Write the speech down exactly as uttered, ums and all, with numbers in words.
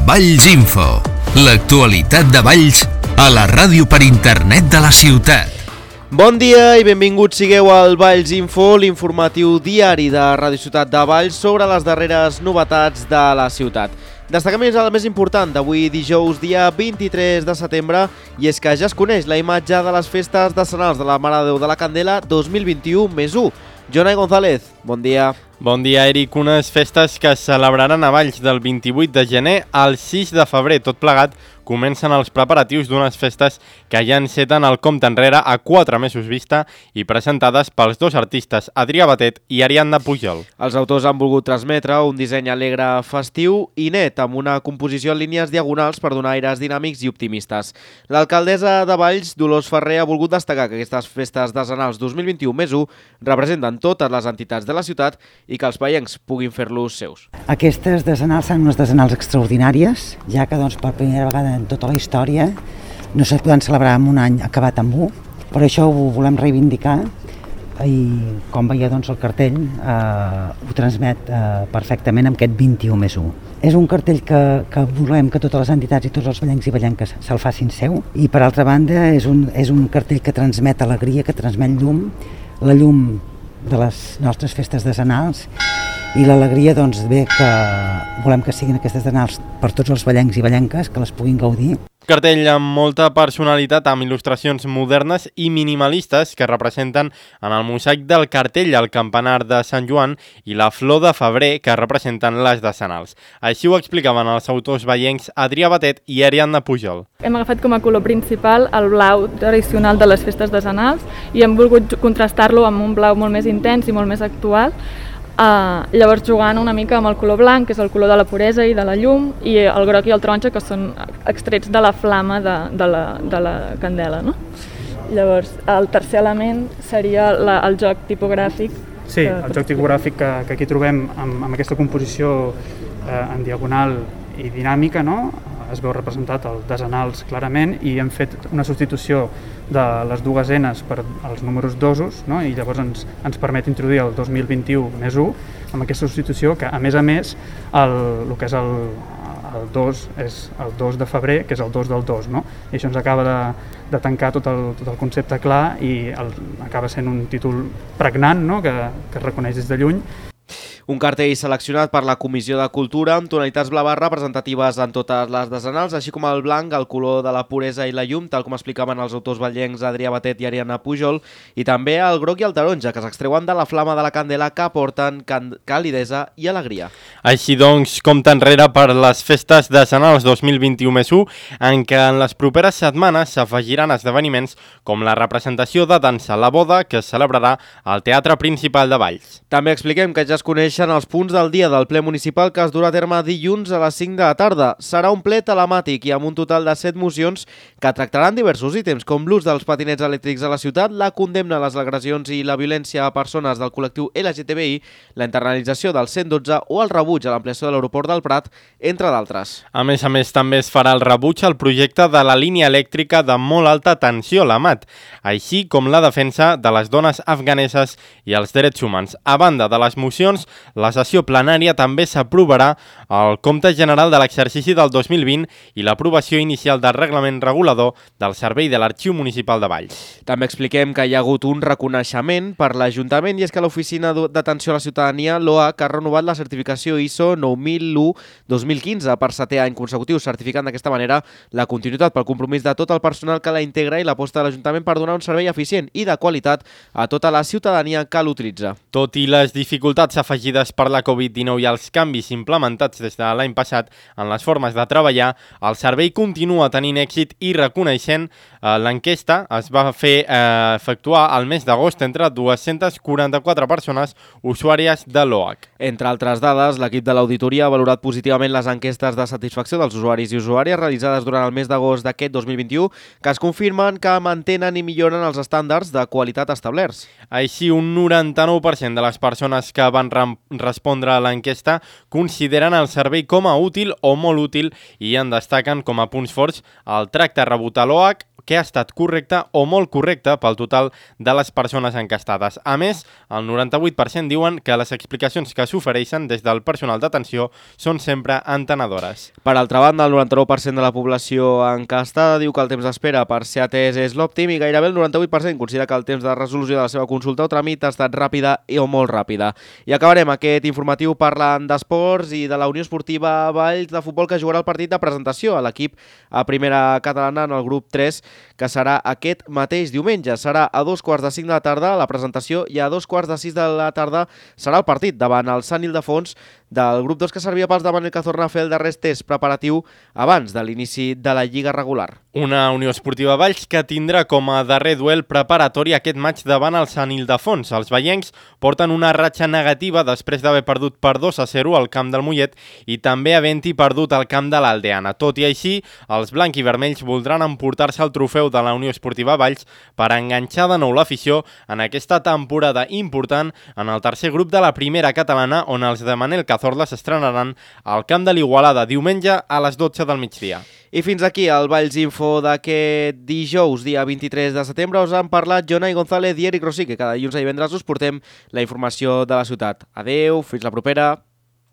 Valls Info, l'actualitat de Valls a la ràdio per internet de la ciutat. Bon dia i benvinguts sigueu al Valls Info, l'informatiu diari de Ràdio Ciutat de Valls sobre les darreres novetats de la ciutat. Destaquem el més important d'avui dijous, dia vint-i-tres de setembre, i és que ja es coneix la imatge de les festes decenals de la Mare de Déu de la Candela dos mil vint-i-u més u. Jonai González, bon dia. Bon dia, Eric. Unes festes que es celebraran a Valls del vint-i-vuit de gener al sis de febrer. Tot plegat comencen els preparatius d'unes festes que ja enceten el compte enrere a quatre mesos vista i presentades pels dos artistes Adrià Batet i Ariadna Pujol. Els autors han volgut transmetre un disseny alegre, festiu i net, amb una composició en línies diagonals per donar aires dinàmics i optimistes. L'alcaldessa de Valls, Dolors Ferrer, ha volgut destacar que aquestes festes decenals dos mil vint-i-u més u representen totes les entitats de la ciutat i que els veiencs puguin fer-los seus. Aquestes decenals són unes decenals extraordinàries, ja que doncs, per primera vegada en tota la història no se poden celebrar en un any acabat amb u. Per això ho volem reivindicar i, com veieu, doncs, el cartell eh, ho transmet eh, perfectament amb aquest vint-i-u més u. És un cartell que, que volem que totes les entitats i tots els vallencs i vallenques se'l facin seu, i per altra banda és un, és un cartell que transmet alegria, que transmet llum, la llum de les nostres festes decenals, i l'alegria, doncs, bé, que volem que siguin aquestes decenals per tots els vallencs i vallenques, que les puguin gaudir. Cartell amb molta personalitat, amb il·lustracions modernes i minimalistes que representen en el mosaic del cartell el campanar de Sant Joan i la flor de febrer que representen les decenals. Així ho explicaven els autors vallencs Adrià Batet i Ariadna Pujol. Hem agafat com a color principal el blau tradicional de les festes decenals i hem volgut contrastar-lo amb un blau molt més intens i molt més actual. Uh, llavors jugant una mica amb el color blanc, que és el color de la puresa i de la llum, i el groc i el taronja, que són extrets de la flama de, de, la, de la candela, no? Llavors el tercer element seria la, el joc tipogràfic. Sí, que... el joc tipogràfic que, que aquí trobem amb, amb aquesta composició eh, en diagonal i dinàmica, no? Es veu representat el decenals clarament, i hem fet una substitució de les dues enes per als números dosos, no? I llavors ens, ens permet introduir el dos mil vint-i-u més u amb aquesta substitució, que a més a més el, el que és el, el dos és el dos de febrer, que és el dos del dos, no? I això ens acaba de, de tancar tot el, tot el concepte clar, i el, acaba sent un títol pregnant, no? que, que es reconeix des de lluny. Un cartell seleccionat per la Comissió de Cultura amb tonalitats blaves representatives en totes les decenals, així com el blanc, el color de la puresa i la llum, tal com explicaven els autors vallencs Adrià Batet i Ariadna Pujol, i també el groc i el taronja, que s'extreuen de la flama de la candela, que aporten calidesa i alegria. Així doncs, compte enrere per les festes decenals dos mil vint-i-u més u, en què en les properes setmanes s'afegiran esdeveniments com la representació de dansa La Boda, que es celebrarà al Teatre Principal de Valls. També expliquem que ja es coneix els punts del dia del ple municipal, que es durà a terme dilluns a les cinc de la tarda. Serà un ple telemàtic i amb un total de set mocions que tractaran diversos ítems, com l'ús dels patinets elèctrics a la ciutat, la condemna a les agressions i la violència a persones del col·lectiu L G T B I, la internalització del cent dotze o el rebuig a l'ampliació de l'aeroport del Prat, entre d'altres. A més a més, també es farà el rebuig al projecte de la línia elèctrica de molt alta tensió, la M A T, així com la defensa de les dones afganeses i els drets humans. A banda de les mocions, la sessió plenària també s'aprovarà el compte general de l'exercici del dos mil vint i l'aprovació inicial del reglament regulador del Servei de l'Arxiu Municipal de Valls. També expliquem que hi ha hagut un reconeixement per l'Ajuntament, i és que l'Oficina d'Atenció a la Ciutadania, l'O A C, ha renovat la certificació I S O nou mil u dos mil quinze per setè any consecutiu, certificant d'aquesta manera la continuïtat pel compromís de tot el personal que la integra i l'aposta de l'Ajuntament per donar un servei eficient i de qualitat a tota la ciutadania que l'utilitza. Tot i les dificultats afegides per la covid dinou i els canvis implementats des de l'any passat en les formes de treballar, el servei continua tenint èxit i reconeixent eh, l'enquesta es va fer eh, efectuar al mes d'agost entre dues-centes quaranta-quatre persones usuàries de l'O A C. Entre altres dades, l'equip de l'auditoria ha valorat positivament les enquestes de satisfacció dels usuaris i usuàries realitzades durant el mes d'agost d'aquest dos mil vint-i-u, que es confirmen que mantenen i milloren els estàndards de qualitat establerts. Així, un noranta-nou per cent de les persones que van respondre a l'enquesta consideren el servei com a útil o molt útil, i en destaquen com a punts forts el tracte rebut a l'O A C, que ha estat correcte o molt correcte pel total de les persones encastades. A més, el noranta-vuit per cent diuen que les explicacions que s'ofereixen des del personal d'atenció són sempre entenedores. Per altra banda, el noranta-nou per cent de la població encastada diu que el temps d'espera per ser atès és l'òptim i gairebé el noranta-vuit per cent considera que el temps de resolució de la seva consulta o tràmit ha estat ràpida i o molt ràpida. I acabarem aquest informatiu parlant d'esports i de la Unió Esportiva Valls de futbol, que jugarà el partit de presentació a l'equip a primera catalana en el grup tres, que serà aquest mateix diumenge. Serà a dos quarts de cinc de la tarda la presentació i a dos quarts de sis de la tarda serà el partit davant el Sant Ildefons del grup dos, que servia pels de Manel Cazorla a fer el darrer test preparatiu abans de l'inici de la Lliga regular. Una Unió Esportiva Valls que tindrà com a darrer duel preparatori aquest maig davant el Sant Ildefons. Els veiencs porten una ratxa negativa després d'haver perdut per dos a zero al camp del Mollet i també havent-hi perdut al camp de l'Aldeana. Tot i així, els blanc i vermells voldran emportar-se el trofeu de la Unió Esportiva Valls per enganxar de nou l'afició en aquesta temporada important en el tercer grup de la primera catalana, on els de Manel Cazorla s'estrenaran al camp de l'Igualada diumenge a les dotze del migdia. I fins aquí el Valls Info d'aquest dijous, dia vint-i-tres de setembre. Us han parlat Jonai González i Eric Rossi, que cada dilluns i divendres us portem la informació de la ciutat. Adeu, fins la propera.